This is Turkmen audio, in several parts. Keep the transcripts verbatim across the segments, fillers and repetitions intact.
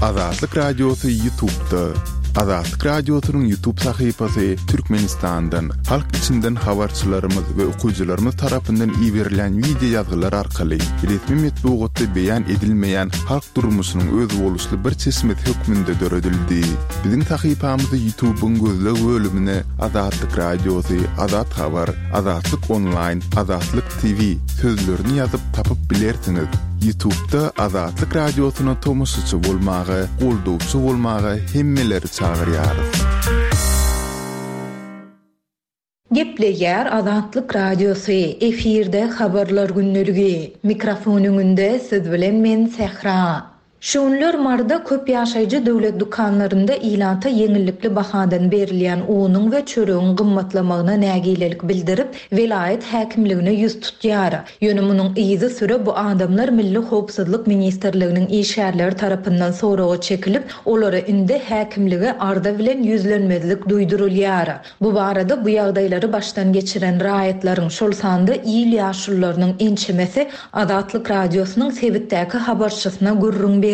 Azatlyk Radiosy YouTube'da. Azatlyk Radiosynyň YouTube sahypasy Türkmenistandan, halk içinden habarçylarymyz we okyjylarymyz tarapyndan iberilen wideo ýazgylar arkaly resmi metbugatda beýan edilmeýän halk durmuşynyň özboluşly bir çeşmesi hökmünde döredildi. Biziň sahypamyzy YouTube'yň gözleg bölümine Azatlyk Radiosy, Azat Habar, Azatlyk Online, Azatlyk T V sözlerini ýazyp tapyp bilersiňiz. YouTube'da Azatlyk Radiosyna tomaşaçy bolmaga, goldawçy bolmaga hemmeleri çagyrýarys. Gepleýär Azatlyk Radiosy, efirde habarlar gündeligi. Mikrofon öňünde siz bilen men Sähra. Şu günler Maryda köp ýaşaýjy döwlet dükanlarynda ilata ýeňillikli bahadan berilýän unuň we çöregiň gymmatlamagyna nägilelik bildirip, welaýat häkimligine ýüz tutýar. Ýöne munuň yzysüre bu adamlar Milli howpsuzlyk ministrliginiň işgärleri tarapyndan soraga çekilip, olara indi häkimlige arza bilen ýüzlenmezlik duýdurylýar. Bu barada bu ýagdaýlary başdan geçiren raýatlaryň, şol sanda il ýaşulularynyň ençemesi Azatlyk Radiosynyň sebitdäki habarçysyna gürrüň berdi.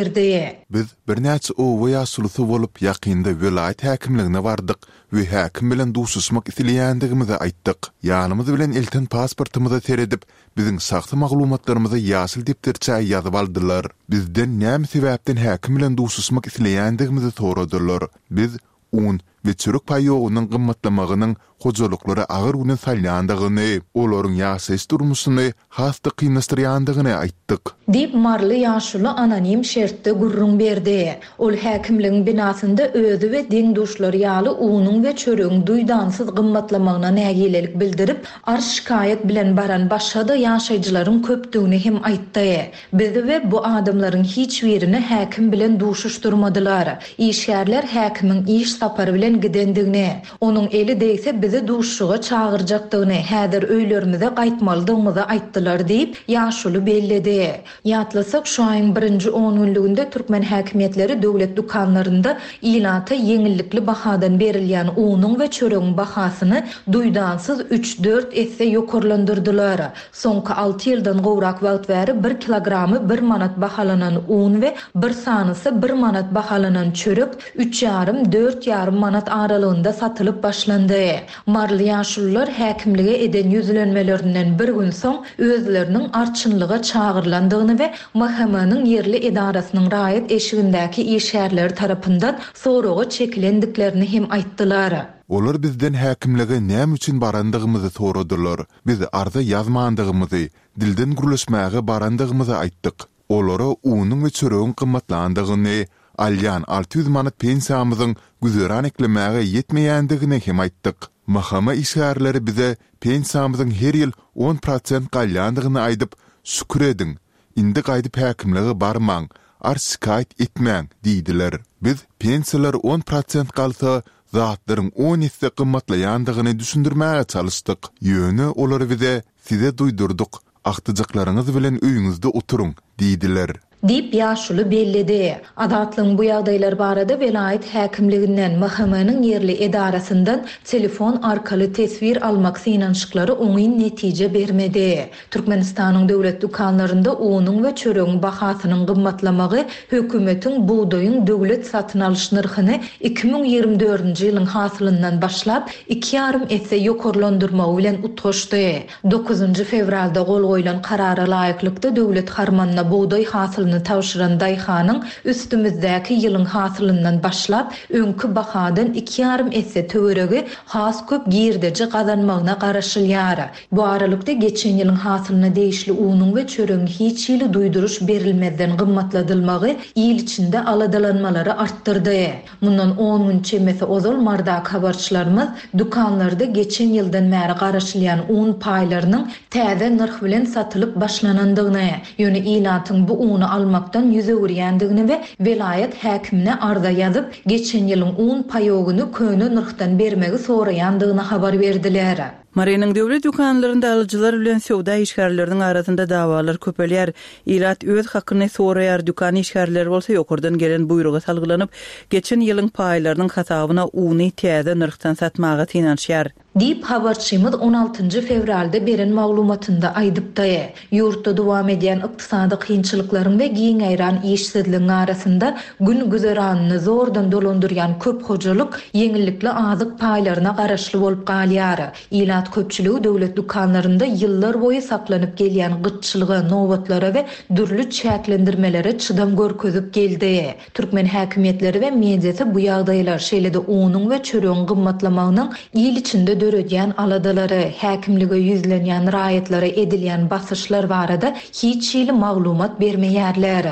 Biz birnäçe oba ýaşulusy bolup ýakynda welaýat häkimligine bardyk we häkim bilen duşuşmak isleýändigimizi aýtdyk. Ýanymyz bilen elten pasportymyza seredip, biziň şahsy maglumatlarymyzy ýaşyl depderçä ýazyp aldylar. Bizden näme sebäpden häkim bilen duşuşmak isleýändigimizi soradylar. Biz un we çörek paýogynyň gymmatlamagynyň hojalyklara agyr güne salýandygyny, olaryň ýaşaýyş durmuşyny has-da kynlaşdyrýandygyny aýtdyk. Diýip Maryly ýaşuly anonim şertde gürrüň berdi. Ol häkimligiň binasynda özi we deň-duşlary ýaly unuň we çöregiň duýdansyz gymmatlamagyna nägilelik bildirip, arz şikaýat bilen baran başga-da ýaşaýjylaryň köpdügini hem aýtdy. Bizi we bu adamlaryň hiç birini häkim bilen duşuşdyrmadylar. Işgärler häkimiň iş sapary bilen gidendigini, onuň eli degse bizi duşuşyga çagyrjakdygyny, häzir öýlerimize gaýtmalydygymyzy aýtdylar diýip, ýaşuly belledi. Ýatlasak, şu aýyň birinji on günlüginde türkmen häkimiýetleri döwlet dükanlarynda ilata ýeňillikli bahadan berilýän unuň we çöregiň bahasyny duýdansyz üç-dört esse ýokarlandyrdylar. Soňky alty ýyldan gowrak wagt bäri bir kilogramy bir manat bahalanan un we bir sanysy bir manat bahalanan çörek üç ýarym, dört ýarym manat aralygynda satylyp başlandy. Maryly ýaşulular häkimlige eden ýüzlenmelerinden bir gün soň özleriniň arçynlyga çagyrylandygyny we M H M-niň ýerli edarasynyň raýat eşigindäki işgärleri tarapyndan soraga çekilendiklerini hem aýtdylar. Olar bizden häkimlige näme üçin barandygymyzy soradylar. Biz arza ýazmandygymyzy, dilden gürleşmäge barandygymyzy aýtdyk. Olara unuň we çöregiň gymmatlandygyny, alýan alty ýüz manat pensiýamyzyň güzeran eklemäge ýetmeýändigini hem aýtdyk. M H M işgärleri bize pensiýamyzyň her ýyl on prosent galýandygyny aýdyp, "Şükür ediň, indi gaýdyp häkimlige barmaň, arz şikaýat etmäň" diýdiler. Biz pensiýalar on prosent galsa, zatlaryň on esse gymmatlaýandygyny düşündirmäge çalyşdyk. Ýöne olar bize "Size duýdurdyk, agtyjaklaryňyz bilen öýüňizde oturyň" diýdiler. Diýip ýaşuly belledi. Azatlygyň bu ýagdaýlar barada welaýat häkimliginden, M H M-niň ýerli edarasyndan telefon arkaly teswir almak synanyşyklary oňyn netije bermedi. Türkmenistanyň döwlet dükanlarynda unuň we çöregiň bahasynyň gymmatlamagy hökümetiň bugdaýyň döwlet satyn alyş nyrhyny iki müň ýigrimi dördünji ýylyň hasylyndan başlap iki ýarym esse ýokarlandyrmagy bilen utgaşdy. Dokuzynjy fewralda gol goýlan karara laýyklykda döwlet harmanyna bugdaý hasylyny tabşyran daýhanyň üstümizdäki ýylyň hasylyndan başlap öňki bahadan iki ýarym esse töweregi has köp girdeji gazanmagyna garaşylýar. Bu aralykda geçen ýylyň hasylyna degişli unuň we çöregiň hiç hili duýduryş berilmezden gymmatladylmagy il içinde aladalanmalary artdyrdy. Mundan on gün çemesi ozal Marydaky habarçylarymyz dükanlarda geçen ýyldan bäri garaşylýan un paýlarynyň täze nyrh bilen satylyp başlanandygyny, ýöne ilatyň bu uny almakdan ýüz öwürýändigini we welaýat häkimine arza ýazyp, geçen ýylyň un paýogyny köne nyrhdan bermegi soraýandygyny habar berdiler. Marynyň döwlet dükanlarynda alyjylar bilen söwda işgärleriniň arasynda dawalar köpelýär. Ilat öz hakyny soraýar, dükan işgärleri bolsa ýokardan gelen buýruga salgylanyp, geçen ýylyň paýlarynyň hasabyna uny täze nyrhdan satmaga synanyşýar. Diýip, habarçymyz on altynjy fewralda beren maglumatynda aýdypdy. Ýurtda dowam edýän ykdysady kynçylyklaryň we giň ýaýran işsizligiň arasynda gün-güzeranyny zordan dolandyrýan köp hojalyk ýeňillikli azyk paýlaryna garaşly bolup galýar. Ilat köpçüligi döwlet dükanlarynda ýyllar boýy saklanyp gelýän gytçylyga, nobatlara we dürli çäklendirmelere çydam görkezip geldi. Türkmen häkimiýetleri we mediasy bu ýagdaýlar, şeýle-de unuň we çöregiň gymmatlamagynyň il içinde döredýän aladalary, häkimlige ýüzlenýän raýatlara edilýän basyşlar barada hiç hili maglumat bermeýärler.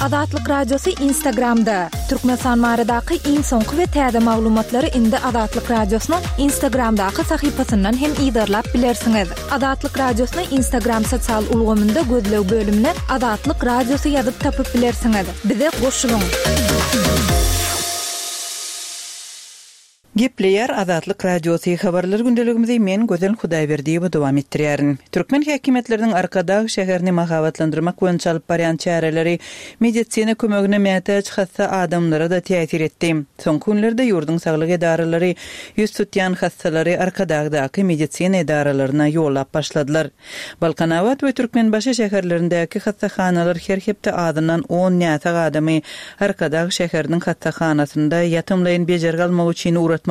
Azatlyk Radiosy Instagramda. Türkmenistan baradaky iň soňky we täze maglumatlary indi Azatlyk Radiosynyň Instagramdaky sahypasyndan hem yzarlap bilersiňiz. Azatlyk Radiosyny Instagram sosial ulgamynda gözleg bölümine Azatlyk Radiosy ýazyp tapyp bilersiňiz. Bize goşulyň. Gepleýär Azatlyk Radiosy habarlar gündeligimizi men Gözel Hudaýberdiýewa dowam etdirýärin. Türkmen häkimiýetleriniň Arkadag şäherini mahabatlandyrmak boýunça alyp barýan çäreleri medisina kömegine mätäç hassa adamlara da täsir etdi. Soňky günlerde ýurduň saglyk edaralary ýüz tutýan hassalary Arkadagdaky medisina edaralaryna ýollap başladylar. Balkanabat we Türkmenbaşy şäherlerindäki hassahanalar her hepde azyndan on näsag adamy Arkadag şäheriniň hassahanasynda ýatymlaýyn bejergi almak üçin ugratmaly.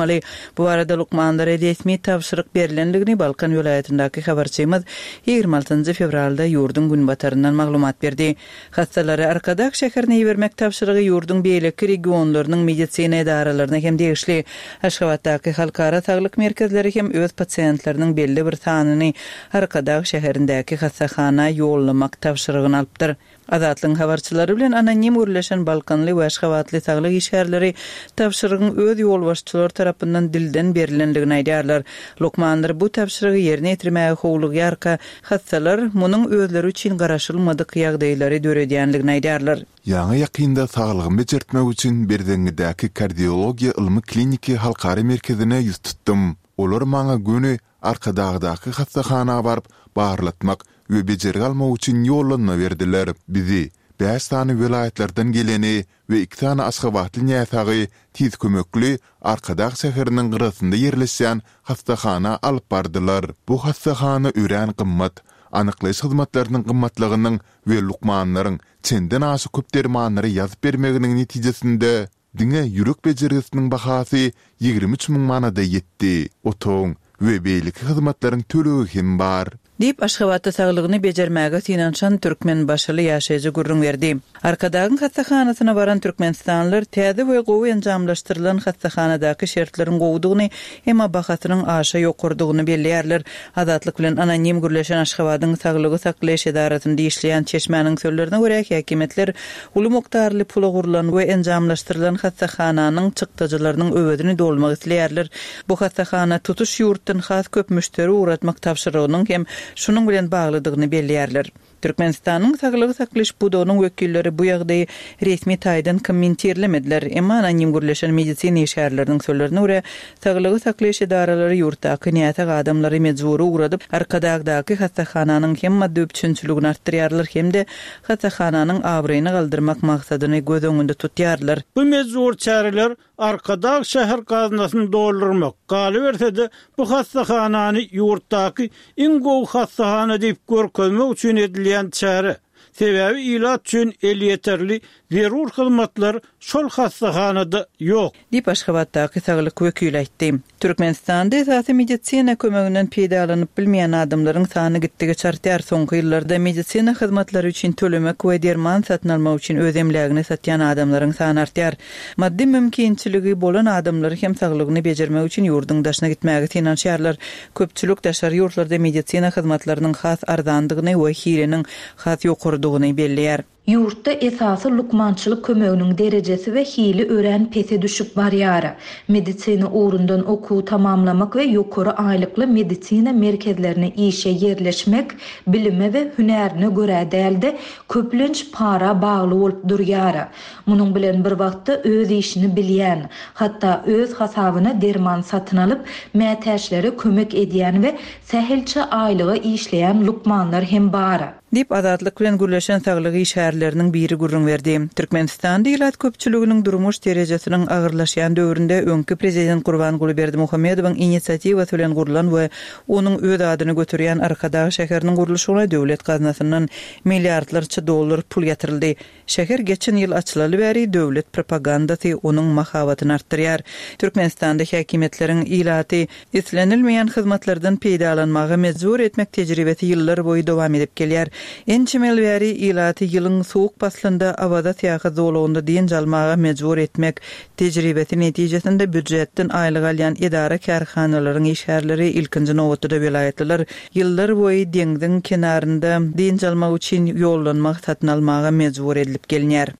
Bu arada lukmanlara resmi tabşyryk berilendigini Balkan welaýatyndaky habarçymyz ýigrimi altynjy fewralda ýurduň günbataryndan maglumat berdi. Hassalary Arkadag şäherine ibermek tabşyrygy ýurduň beýleki regionlarynyň medisina edaralaryna hem degişli. Aşgabatdaky halkara saglyk merkezleri hem öz pasiýentleriniň belli bir sanyny Arkadag şäherindäki hassahana ýollamak tabşyrygyny alypdyr. Azatlygyň habarçylary bilen anonim gürleşen Balkanly we Aşgabatly saglyk işgärleri tabşyrygyň öz ýolbaşçylary tarapyndan dilden berilendigini aýdýarlar. Lukmanlar bu tabşyrygy ýerine ýetirmäge howlugýarka, hassalar munuň özleri üçin garaşylmadyk ýagdaýlary döredýändigini aýdýarlar. Ýaňy ýakynda saglygymy bejertmek üçin Berzeňňidäki kardiologiýa ylmy kliniki halkara merkezine ýüz tutdum. Olar maňa göni Arkadagdaky hassahana baryp barlatmak we bejergi almak üçin ýollanma berdiler. Bizi bäş sany welaýatlardan geleni we iki sany Aşgabatly näsagy tiz kömekli Arkadag şäheriniň gyrasynda ýerleşýän hassahana alyp bardylar. Bu hassahana örän gymmat, anyklaýyş hyzmatlarynyň gymmatlygynyň we lukmanlaryň çenden aşa köp dermanlary ýazyp bermeginiň netijesinde diňe ýürek bejergisiniň bahasy ýigrimi üç müň manada ýetdi. Otagyň we beýleki hyzmatlaryň tölegi hem bar. Diýip Aşgabatda saglygyny bejermäge synanyşan Türkmenbaşyly ýaşaýjy gürrüň berdi. Arkadagyň hassahanasyna baran Türkmenistanlylar täze we gowy enjamlaşdyrylan hassahanadaky şertleriň gowudygyny, emma bahasynyň aşa ýokardygyny belleýärler. Azatlyk bilen anonim gürleşen Aşgabadyň saglygy saklaýyş edarasynda işleýän çeşmäniň sözlerine görä häkimiýetler uly mukdarly pula gurlan we enjamlaşdyrylan hassahananyň çykdajylarynyň öwezini dolmak isleýärler. Bu hassahana tutuş ýurtdan has köp müşderi ugratmak tabşyrygynyň hem şunuň bilen baglydygyny belleýärler. Türkmenistanyň saglygy saklaýyş pudagynyň wekilleri bu ýagdaýy resmi taýdan kommentirlemediler. Emma anonim gürleşen medisina işgärleriniň sözlerine görä, saglygy saklaýyş edaralary ýurtdaky näsag adamlary mejbury ugradyp, Arkadagdaky hassahananyň hem maddy üpjünçiligini artdyrýarlar hem-de hassahananyň abraýyny galdyrmak maksadyny göz öňünde tutýarlar. Bu mejbur çäreler Arkadag şäher gaznasyny doldurmak, galyberse-de bu hassahanany ýurtdaky iň gowy hassahana diýip görkezmek üçin edilýän çäre. Sebäbi ilat üçin elýeterli zerur hyzmatlar şol hassahanada ýok. Diýip Aşgabatdaky saglyk wekili aýtdy. Türkmenistanda esasy medisina kömeginden peýdalanyp bilmeýän adamlaryň sany gitdigiçe artýar. Soňky ýyllarda medisina hyzmatlary üçin tölemek we derman satyn almak üçin öz emlägini satýan adamlaryň sany artýar. Maddy mümkinçiligi bolan adamlar hem saglygyny bejermek üçin ýurduň daşyna gitmäge synanyşýarlar. Köpçülik daşary ýurtlarda medisina hyzmatlarynyň has arzandygyny we hiliniň has ýokarydygyny belleýär. Ýurtda esasy lukmançylyk kömeginiň derejesi we hili örän pese düşüp barýar. Medisina ugrundan okuwy tamamlamak we ýokary aýlykly medisina merkezlerine işe ýerleşmek bilime we hünärine görä däl-de, köplenç para bagly bolup durýar. Munuň bilen bir wagtda öz işini bilýän, hatda öz hasabyna derman satyn alyp, mätäçlere kömek edýän we sähelçe aýlyga işleýän lukmanlar hem bar. Diýip, Azatlyk bilen gürleşen saglyk işgärleriniň biri gürrüň berdi. Türkmenistanda ilat köpçüliginiň durmuş derejesiniň agyrlaşýan döwründe öňki prezident Gurbanguly Berdimuhamedowyň inisiatiwasy bilen gurlan we onuň öz adyny göterýän Arkadag şäheriniň gurluşygyna döwlet gaznasyndan milliardlarça dollar pul ýatyryldy. Şäher geçen ýyl açylaly bäri döwlet propagandasy onuň mahabatyny artdyrýar. Türkmenistanda häkimiýetleriň ilaty islenilmeýän hyzmatlardan peýdalanmaga mejbur etmek tejribesi ýyllar boýy dowam edip gelýär. Ençeme ýyl bäri ilaty ýylyň sowuk paslynda Awaza syýahat zolagynda dynç almaga mejbur etmek tejribesi netijesinde býujetden aýlyk alýan edara-kärhanalaryň işgärleri, ilkinji nobatda-da welaýatlylar ýyllar boýy deňziň kenarynda dynç almak üçin ýollanma satyn almaga mejbur edilip gelinýär.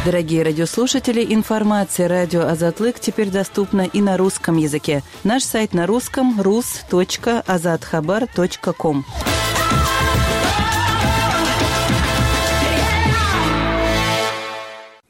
Дорогие радиослушатели, информация радио Азатлык теперь доступна и на русском языке. Наш сайт на русском rus точка azathabar точка ком.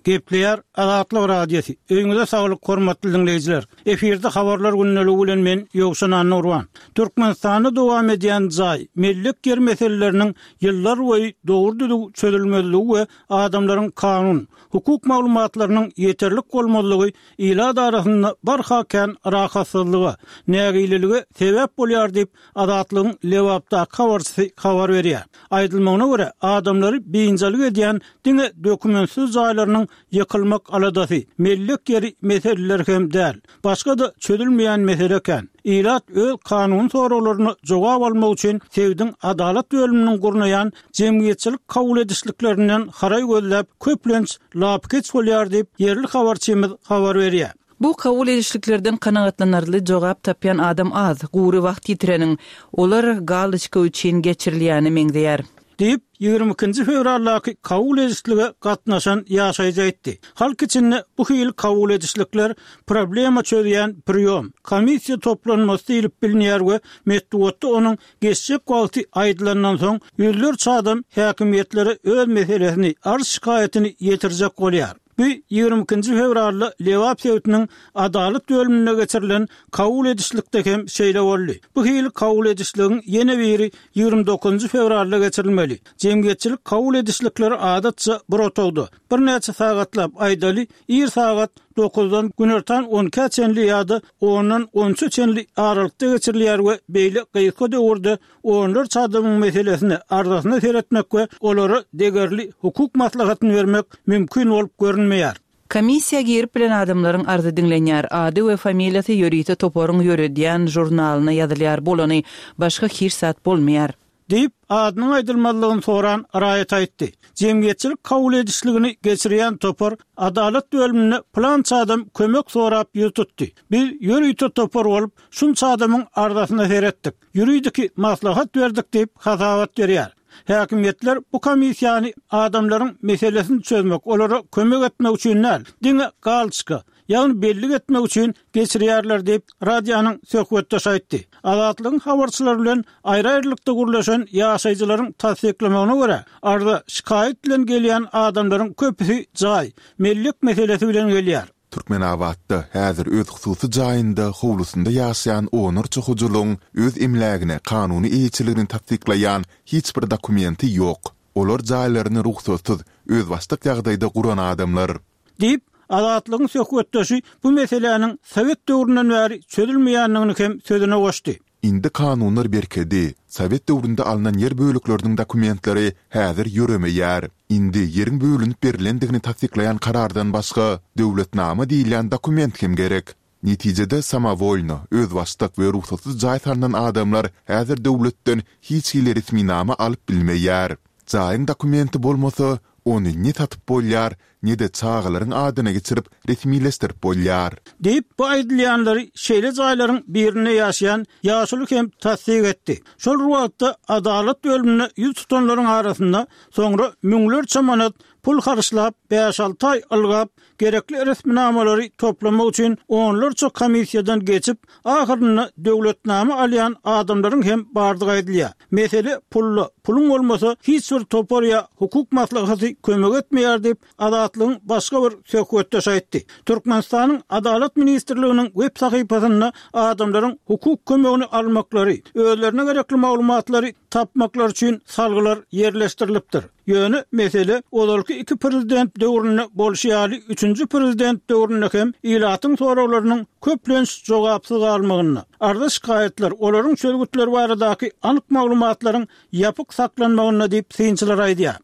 Gepleýär Azatlyk Radiosy. Öýüňize saglyk, hormatly diňleýjiler. Efirde habarlar gündeligi bilen men Ýowşan Annurwan. Türkmenistanda dowam edýän jaý, mellek ýer meseleleriniň ýyllar boýy dogry düzüw çözülmezligi we adamlaryň kanun, hukuk maglumatlarynyň ýeterlik bolmazlygy ilat arasynda barha kän rahatsyzlyga, nägilelige sebäp bolýar diýip Azatlygyň Lebapdaky habarçysy habar berýär. Aýdylmagyna görä, adamlary biynjalyk edýän diňe dokumentsiz jaýlarynyň ýykylmak aladasy, mellek ýeri meseleleri hem däl. Başga-da çözülmeýän mesele kän. Ilat öz kanun soraglaryna jogap almak üçin sebitiň adalat bölüminiň gurnaýan jemgyýetçilik kabul edişliklerinden haraý gözläp köplenç lapykeç bolýar diýip ýerli habarçymyz habar berýär. Bu kabul edişliklerden kanagatlanarly jogap tapýan adam az, gury wagt ýitireniň, olar galyçka üçin geçirilýäni meňzeýär. Diýip, ýigrimi ikinji fewraldaky kabul edişlige gatnaşan ýaşaýjy aýtdy. Halk içinde bu hili kabul edişlikler problema çözýän priýom, komissiýa toplanmasy diýlip bilinýär we metbugatda onuň geçjek wagty aýdylandan soň ýüzlerçe adam häkimiýetlere öz meselesini, arz şikaýatyny ýetirjek bolýar. Bu ýigrimi ikinji fewralda Lebap sebitiniň adalat bölüminde geçirilen kabul edişlikde hem şeýle boldy. Bu hili kabul edişligiň ýene biri ýigrimi dokuzynjy fewralda geçirilmeli. Jemgyýetçilik kabul edişlikleri adatça bir otagda birnäçe sagatlap aýdaly, ir sagat dokuzdan günortan on ikä çenli ýa-da ondan on üçe çenli aralykda geçirilýär we beýle gysga döwürde onlarça adamyň meselesine arzasyna seretmek we olara degerli hukuk maslahatyny bermek mümkin bolup görünmeýär. Komissiýa girip bilen adamlaryň arzy diňlenýär. Ady we familiýasy ýörite toparyň ýöredýän žurnalyna ýazylýar bolany, başga hiç zat bolmaýar. Diýip, adynyň aýdylmazlygyny soran raýat aýtdy. Jemgyýetçilik kabul edişligini geçirýän topar adalat bölümine plança adam kömek sorap ýüz tutdy. Biz ýörite topar bolup, şunça adamyň arzasyna seretdik. Ýuridiki maslahat berdik diýip hasabat berýär. Häkimiýetler bu komissiýany adamlaryň meselesini çözmek, olara kömek etmek üçin däl, diňe galçka, ýagny bellik etmek üçin geçirýärler diýip radionyň söhbetdeşi aýtdy. Azatlygyň habarçylary bilen aýry-aýrylykda gürleşen ýaşaýjylaryň tassyklamagyna görä, arza şikaýat bilen gelýän adamlaryň köpüsi jaý, mellek meselesi bilen gelýär. Türkmenabatda häzir öz hususy jaýynda howlusynda ýaşaýan onlarça hojalygyň öz emlägine kanuny eýeçiligini tassyklaýan hiç bir dokumenti ýok. Olar jaýlaryny rugsatsyz, özbaşdak ýagdaýda guran adamlar. Diýip, Azatlygyň söhbetdeşi bu meseläniň Sowet döwründen bäri çözülmeýändigini hem sözüne goşdy. Indi kanunlar berkedi. Sowet döwründe alnan ýer bölekleriniň dokumentleri häzir ýöremeýär. Indi ýeriň bölünip berilendigini tassyklaýan karardan başga döwletnama diýilýän dokument hem gerek. Netijede samowolno, özbaşdak we rugsatsyz jaý salnan adamlar häzir döwletden hiç hili resminama alyp bilmeýär. Jaýyň dokumenti bolmasa, ony ne satyp bolýar, ne-de çagalaryň adyna geçirip resmileşdirip bolýar. Diýip, bu aýdylýanlary şeýle jaýlaryň birinde ýaşaýan ýaşuly hem tassyk etdi. Şol bir wagtda adalat bölümine ýüz tutanlaryň arasynda soňra müňlerçe manat pul harçlap, bäş-alty aý ylgap, gerekli resminamalary toplamak üçin onlarça komissiýadan geçip, ahyrynda döwletnama alýan adamlaryň hem bardygy aýdylýar. Mesele pulda, puluň bolmasa hiç bir topar ýa hukuk maslahaty kömek etmeýär diýip, Azatlygyň başga bir söhbetdeşi aýtdy. Türkmenistanyň Adalat ministrliginiň web sahypasynda adamlaryň hukuk kömegini almaklary, özlerine gerekli maglumatlary tapmaklary üçin salgylar ýerleşdirilipdir. Ýöne mesele ozalky iki prezident döwründe bolşy ýaly üçünji prezident döwründe hem ilatyň soraglarynyň köplenç jogapsyz galmagynda, arza-şikaýatlar, olaryň çözgütleri baradaky anyk maglumatlaryň ýapyk saklanmagynda diýip, synçylar aýdýar.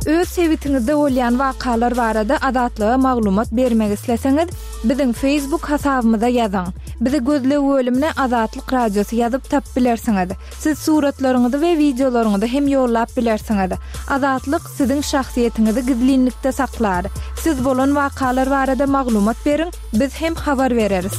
Öz sebitiňizde bolýan wakalar barada Azatlyga maglumat bermek isleseňiz, biziň Facebook hasabymyza ýazyň. Bizi gözleg bölümine Azatlyk Radiosy ýazyp tapyp bilersiňiz. Siz suratlaryňyzy we wideolaryňyzy hem ýollap bilersiňiz. Azatlyk siziň şahsyýetiňizi gizlinlikde saklar. Siz bolan wakalar barada maglumat beriň, biz hem habar bereris.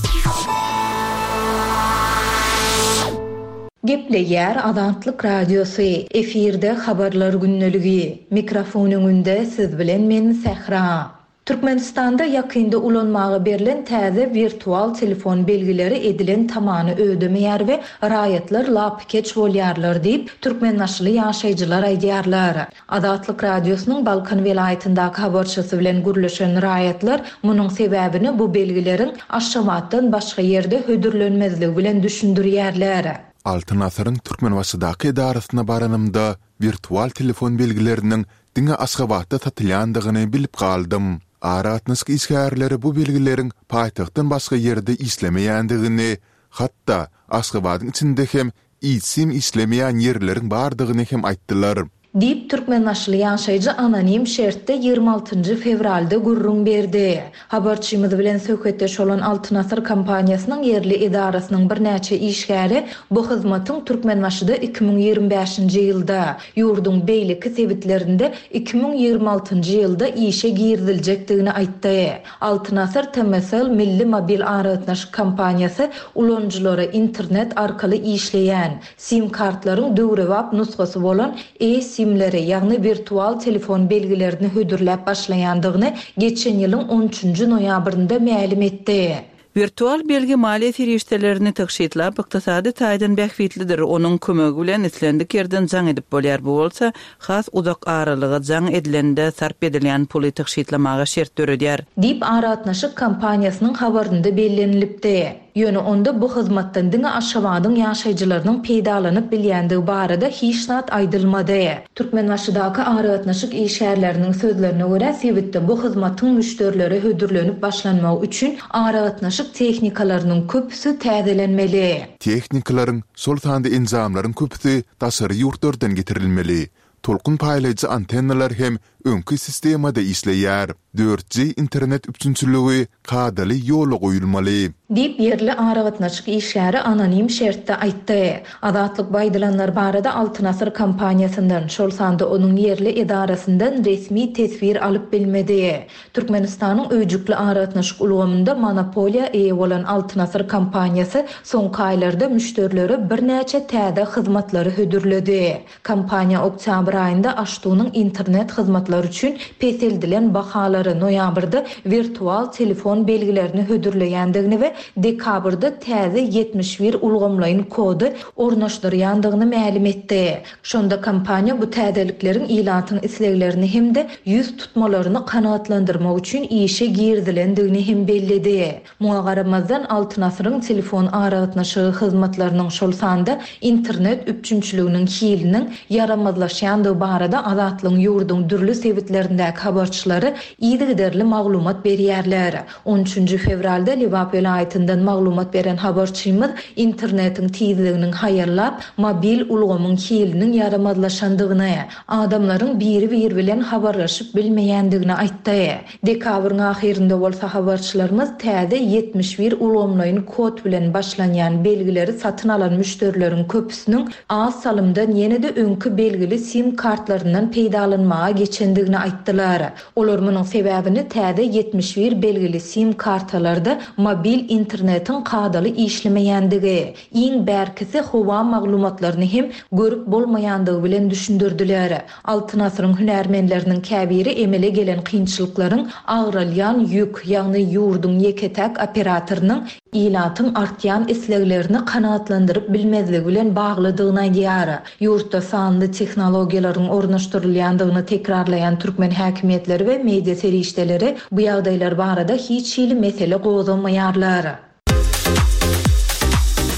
Gepleýär Azatlyk Radiosy, efirde Habarlar gündeligi. Mikrofon öňünde siz bilen men Sähra. Türkmenistanda ýakynda ulanmaga berlen täze wirtual telefon belgileri edilen tamany ödemeýär we raýatlar lapykeç bolýarlar diýip, türkmenbaşyly ýaşaýjylar aýdýarlar. Azatlyk Radiosynyň Balkan welaýatyndaky habarçysy bilen gürleşen raýatlar munuň sebäbini bu belgileriň Aşgabatdan başga ýerde hödürlenmezligi bilen düşündirýärler. Altyn asyryň Türkmenbaşydaky edarasyna baranymda wirtual telefon belgileriniň diňe Aşgabatda satylýandygyny bilip galdym. Aragatnaşyk işgärleri bu belgileriň paýtagtdan başga ýerde işlemeýändigini, hatda Aşgabadyň içinde hem eSIM işlemeýän ýerleriň bardygyny hem aýtdylar. Diýip, türkmenbaşyly ýaşaýjy anonim şertde ýigrimi altynjy fewralda gürrüň berdi. Habarçymyz bilen söhbetdeş bolan Altyn Asyr kompaniýasynyň ýerli edarasynyň birnäçe işgäri bu hyzmatyň Türkmenbaşyda iki müň ýigrimi bäşinji ýylda, ýurduň beýleki sebitlerinde iki müň ýigrimi altynjy ýylda işe giriziljekdigini aýtdy. Altyn Asyr TMSL milli mobil aragatnaşyk kompaniýasy ulanyjylara internet arkaly işleýän, SIM-kartlaryň döwrebap nusgasy bolan e-SIM-leri, ýagny wirtual telefon belgilerini hödürläp başlaýandygyny geçen ýylyň on üçünji noýabrynda mälim etdi. Wirtual belgi maliýe serişdelerini tygşytlap, ykdysady taýdan bähbitlidir. Onuň kömegi bilen islendik ýerden jaň edip bolýar. Bu bolsa has uzak aralyga jaň edilende sarp edilýän puly tygşytlamaga şert döredýär. Diýip, aragatnaşyk kompaniýasynyň habarynda bellenilipdi. Ýöne onda bu hyzmatdan diňe Aşgabadyň ýaşaýjylarynyň peýdalanyp bilýändigi barada hiç zat aýdylmady. Türkmenbaşydaky aragatnaşyk işgärleriniň sözlerine görä, sebitde bu hyzmatyň müşderilere hödürlenip başlanmagy üçin aragatnaşyk tehnikalarynyň köpüsi täzelenmeli. Tehnikalaryň, şol sanda enjamlaryň köpüsi daşary ýurtlardan getirilmeli. Tolkun paýlaýjy antennalar hem öňki sistemada işleýär. Dört G internet üpjünçiligi kadaly ýola goýulmaly. Diýip, ýerli aragatnaşyk işgäri anonim şertde aýtdy. Azatlyk bu aýdylanlar barada Altyn Asyr kompaniýasyndan, şol sanda onuň ýerli edarasyndan resmi teswir alyp bilmedi. Türkmenistanyň öýjükli aragatnaşyk ulgamynda monopoliýa eýe bolan Altyn Asyr kompaniýasy soňky aýlarda müşderilere birnäçe täze hyzmatlary hödürledi. Kompaniýa oktýabr aýynda Aştunyň internet hyzmatlary üçin peseldilen bahalary, noýabrda wirtual telefon belgilerini hödürleýändigini we dekabrda täze ýetmiş bir ulgamlaýyn kody ornaşdyrýandygyny mälim etdi. Şonda kompaniýa bu täzelikleriň ilatyň isleglerini hem-de ýüz tutmalaryny kanagatlandyrmak üçin işe girizilendigini hem belledi. Muňa garamazdan, Altyn Asyryň telefon aragatnaşygy hyzmatlarynyň, şol sanda internet üpjünçiliginiň hiliniň ýaramazlaşýandygy barada Azatlygyň ýurduň dürli sebitlerindäki habarçylary yzygiderli maglumat berýärler. On üçünji fewralda Lebap welaýatyndan maglumat beren habarçymyz internetiň tizliginiň haýallap, mobil ulgamyň hiliniň ýaramazlaşandygyny, adamlaryň biri-biri bilen habarlaşyp bilmeýändigini aýtdy. Dekabryň ahyrynda bolsa habarçylarymyz täze ýetmiş bir ulgamlaýyn kod bilen başlanýan belgileri satyn alan müşderileriň köpüsiniň az salymdan ýene-de öňki belgili sim kartlaryndan peýdalanmaga geçendigini aýtdylar. Olar munuň sebäbini täze ýetmiş bir belgili sim kartalarda mobil internetiň kadaly işlemeýändigi, iň bärkisi howa maglumatlaryny hem görüp bolmaýandygy bilen düşündirdiler. Altyn asyryň hünärmenleriniň käbiri emele gelen kynçylyklaryň agralýan ýük, ýagny ýurduň ýeke-täk operatorynyň ilatyň artýan isleglerini kanagatlandyryp bilmezligi bilen baglydygyny aýdýar. Ýurtda sanly tehnologiýalaryň ornaşdyrylýandygyny tekrarlaýan türkmen häkimiýetleri we media serişdeleri bu ýagdaýlar barada hiç hili mesele gozgamaýarlar.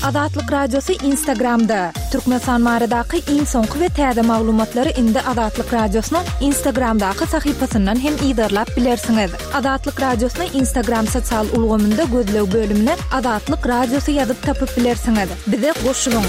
Azatlyk Radiosy Instagramda. Türkmenistan baradaky iň soňky we täze maglumatlary indi Azatlyk Radiosynyň Instagramdaky sahypasyndan hem yzarlap bilersiňiz. Azatlyk Radiosyny Instagram sosial ulgamynda gözleg bölümine Azatlyk Radiosy ýazyp tapyp bilersiňiz. Bize goşulyň.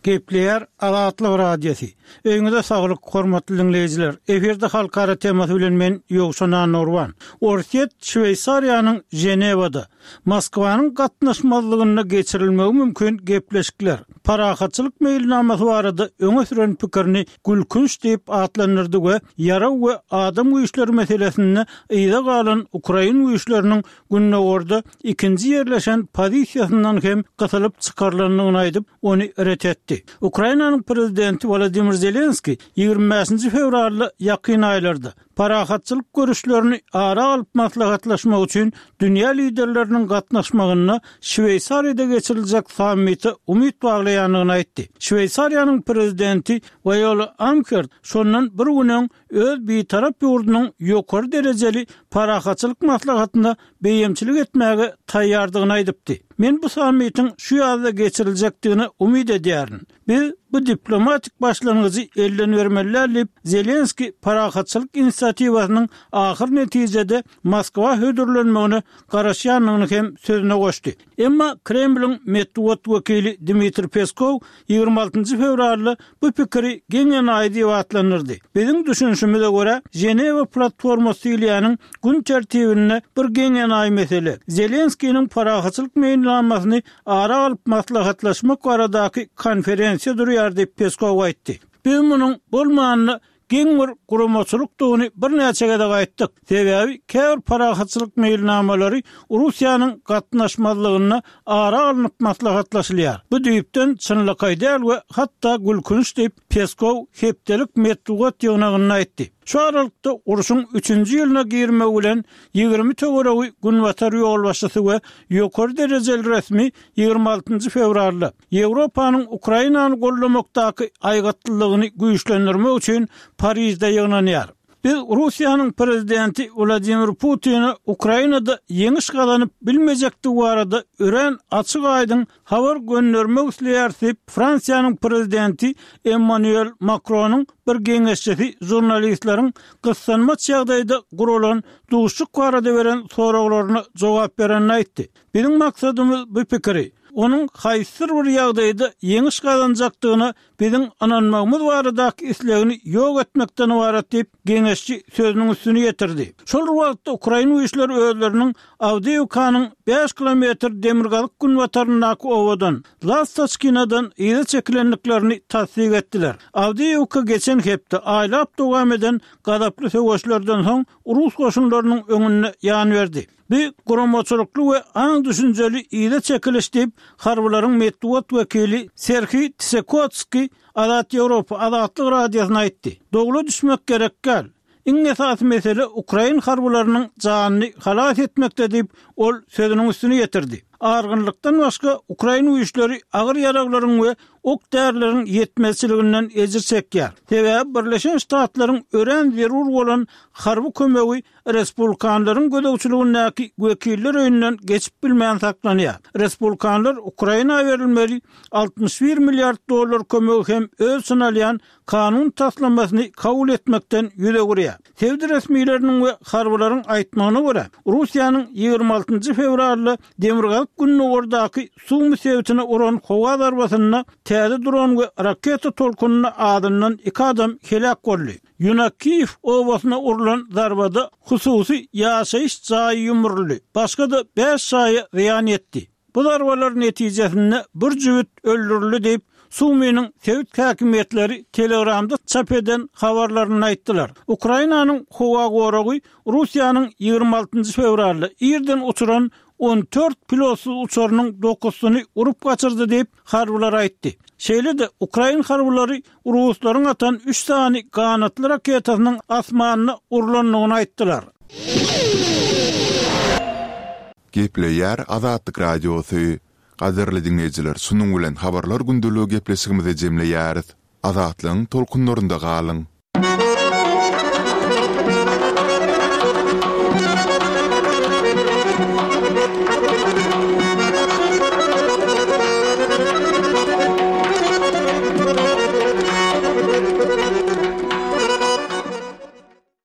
Gepleýär Azatlyk Radiosy. Öýüňize saglyk, hormatly diňleýjiler. Efirde halkara temasy bilen men Ýowşan Annagurban. Orsýet Şweýsariýanyň Ženewada Moskwanyň gatnaşmazlygynda geçirilmegi mümkin gepleşikler, parahatçylyk meýilnamasy barada öňe süren pikirini gülkünç diýip atlandyrdy we ýarag we adam güýçleri meselesinde yza galan ukrain güýçleriniň gündogarda ikinji ýerleşen pozisiýasyndan hem gysylyp çykarylandygyny aýdyp, ony ret etdi. Ukrainanyň prezidenti Wladimir Zelenskiý ýigrimi bäşinji fewralda ýakyn aýlarda parahatçylyk görüşlerini ara alyp maslahatlaşmak üçin dünýä liderleriniň gatnaşmagynda Şweýsariýada geçiriljek sammite umyt baglaýandygyny aýtdy. Şweýsariýanyň prezidenti Waýola Amherd şondan bir gün öň öz bitarap ýurdunyň ýokary derejeli parahatçylyk maslahatynda beýemçilik etmäge taýýardygyny aýdypdy. Men bu sammitiň şu ýazda geçiriljekdigine umyt edýärin. Biz bu diplomatik başlangyjy elden bermeli däl diýip, Zelenskiý parahatçylyk inisiatiwasynyň ahyr netijede Moskwa hödürlenmegine garaşýandygyny hem sözüne goşdy. Emma Kremliň metbugat wekili Dmitriý Peskow ýigrimi altynjy fewralda bu pikiri geň-enaýy diýip atlandyrdy. Biziň düşünişimize görä, Ženewa platformasy diýilýäniň gün tertibinde bir geň-enaýy mesele, Zelenskiniň parahatçylyk meýilnamasyny ara alyp maslahatlaşmak baradaky konferensiýa durýar diýip, Peskow aýtdy. Biz munuň bolmanda geň bir guramaçylykdygyny birnäçe gezek aýtdyk. Sebäbi käbir parahatçylyk meýilnamalary Russiýanyň gatnaşmazlygynda ara alnyp maslahatlaşylýar. Bu düýpden çynlakaý däl we hatda gülkünç diýip, Peskow hepdelik metbugat ýygnagynda aýtdy. Şu aralykda urşuň üçünji ýylyna girmegi bilen ýigrimi töweregi günbatar ýolbaşçysy we ýokary derejeli resmi ýigrimi altynjy fewralda Ýewropanyň Ukrainany goldamakdaky aýgytlylygyny güýçlendirmek üçin Parižde ýygnanýar. Biz Russiýanyň prezidenti Wladimir Putine Ukrainada ýeňiş gazanyp bilmejekdigi barada örän açyk-aýdyň habar göndermek isleýäris diýip, Fransiýanyň prezidenti Emmanuel Makronyň bir geňeşçisi žurnalistleriň gyssanmaç ýagdaýda guralan duşuşyk barada beren soraglaryna jogap berende aýtdy. Biziň maksadymyz bu pikiri, onuň haýsydyr bir ýagdaýda ýeňiş gazanjakdygyna biziň ynanmagymyz baradaky islegini ýok etmekden ybarat diýip, geňeşçi sözüniň üstüni ýetirdi. Şol bir wagtda ukrain güýçleri özleriniň Awdiýewkanyň bäş kilometr demirgazyk-günbataryndaky obadan, Lastoçkinadan yza çekilendiklerini tassyk etdiler. Awdiýewka geçen hepde aýlap dowam eden gazaply söweşlerden soň rus goşunlarynyň öňünde ýan berdi. Bu guramaçylykly we aň-düşünjeli yza çekiliş diýip, harbylaryň metbugat wekili Serhiý Tsekotskiý Azat Ýewropa Azatlyk Radiosyna aýtdy. Dowla düşmek gerek däl. Iň esasy mesele ukrain harbylarynyň janyny halas etmekde diýip, ol sözüniň üstüni ýetirdi. Argynlykdan başga, ukrain güýçleri agyr ýaraglaryň we ok-därileriň ýetmezçiliginden ejir çekýär. Sebäbi Birleşen Ştatlaryň örän zerur bolan harby kömegi respublikanlaryň gözegçiligindäki Wekiller öýünden geçip bilmän saklanýar. Respublikanlar Ukraina berilmeli altmyş bir milliard dollar kömegi hem öz içine alýan kanun taslamasyny kabul etmekden ýüz öwürýär. Sebit resmileriniň we harbylaryň aýtmagyna görä, Russiýanyň ýigrimi altynjy fewralda demirgazyk-gündogardaky Sumy sebitine uran howa zarbasynda täze dron we raketa tolkunynda azyndan iki adam heläk boldy. Ýunakiýew obasyna urlan zarbada hususy ýaşaýyş jaýy ýumruldy, başga-da bäş jaýa zyýan ýetdi. Bu zarbalar netijesinde bir jübüt öldürildi diýip, Sumynyň sebit häkimiýetleri Telegramda çap eden habarlarynda aýtdylar. Ukrainanyň howa goragy Russiýanyň ýigrimi altynjy fewralda irden uçuran on dört pilotsyz uçarynyň dokuzysyny urup gaçyrdy diýip, harbylar aýtdy. Şeýle-de, ukrain harbylary ruslaryň atan üç sany ganatly raketasynyň asmanda urlandygyny aýtdylar. Gepleýär Azatlyk Radiosy. Gadyrly diňleýjiler, şunuň bilen Habarlar gündeligi gepleşigimizi jemleýäris. Azatlygyň tolkunlarynda galyň!